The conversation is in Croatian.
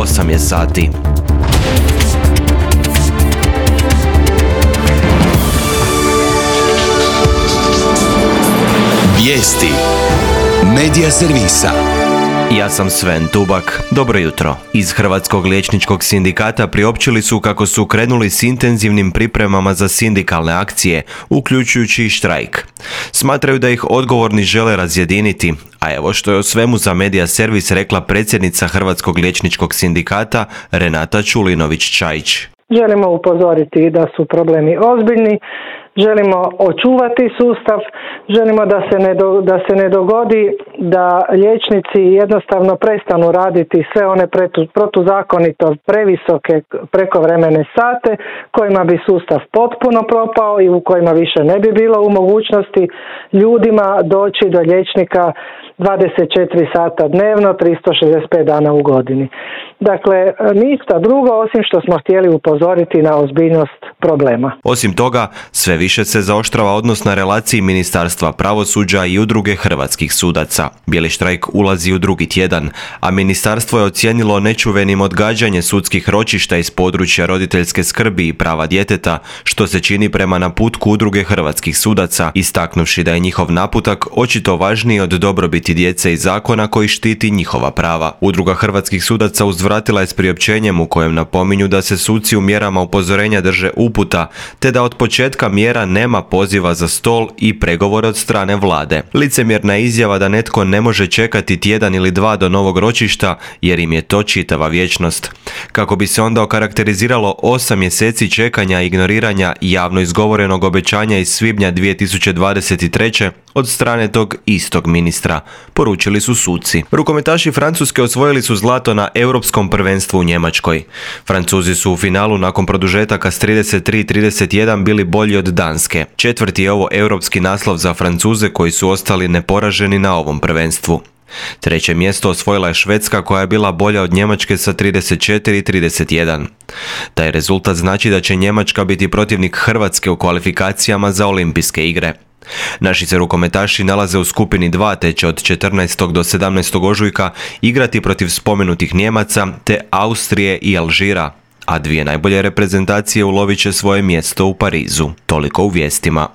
8 je sati. Vijesti Medija servisa. Ja sam Sven Tubak. Dobro jutro. Iz Hrvatskog liječničkog sindikata priopćili su kako su krenuli s intenzivnim pripremama za sindikalne akcije, uključujući i štrajk. Smatraju da ih odgovorni žele razjediniti, a evo što je o svemu za Medija servis rekla predsjednica Hrvatskog liječničkog sindikata Renata Čulinović-Čajić. Želimo upozoriti da su problemi ozbiljni, želimo očuvati sustav, želimo da se ne dogodi da liječnici jednostavno prestanu raditi sve one protuzakonito previsoke prekovremene sate kojima bi sustav potpuno propao i u kojima više ne bi bilo u mogućnosti ljudima doći do liječnika 24 sata dnevno, 365 dana u godini. Dakle, ništa drugo osim što smo htjeli upozoriti na ozbiljnost problema. Osim toga, sve više se zaoštrava odnos na relaciji Ministarstva pravosuđa i Udruge hrvatskih sudaca. Bijeli štrajk ulazi u drugi tjedan, a ministarstvo je ocijenilo nečuvenim odgađanje sudskih ročišta iz područja roditeljske skrbi i prava djeteta, što se čini prema naputku Udruge hrvatskih sudaca, istaknuvši da je njihov naputak očito važniji od dobrobiti djece i zakona koji štiti njihova prava. Udruga hrvatskih sudaca uzvratila je s priopćenjem u kojem napominju da se suci u mjerama upozorenja drže uputa, te da od početka mjera nema poziva za stol i pregovore od strane vlade. Licemjerna izjava da netko ne može čekati tjedan ili dva do novog ročišta jer im je to čitava vječnost. Kako bi se onda okarakteriziralo 8 mjeseci čekanja i ignoriranja javno izgovorenog obećanja iz svibnja 2023. od strane tog istog ministra, poručili su suci. Rukometaši Francuske osvojili su zlato na Europskom prvenstvu u Njemačkoj. Francuzi su u finalu nakon produžetaka s 33-31 bili bolji od Danske. Četvrti je ovo europski naslov za Francuze koji su ostali neporaženi na ovom prvenstvu. Treće mjesto osvojila je Švedska koja je bila bolja od Njemačke sa 34-31. Taj rezultat znači da će Njemačka biti protivnik Hrvatske u kvalifikacijama za olimpijske igre. Naši se rukometaši nalaze u skupini 2 te će od 14. do 17. ožujka igrati protiv spomenutih Nijemaca te Austrije i Alžira, a dvije najbolje reprezentacije ulovit će svoje mjesto u Parizu. Toliko u vijestima.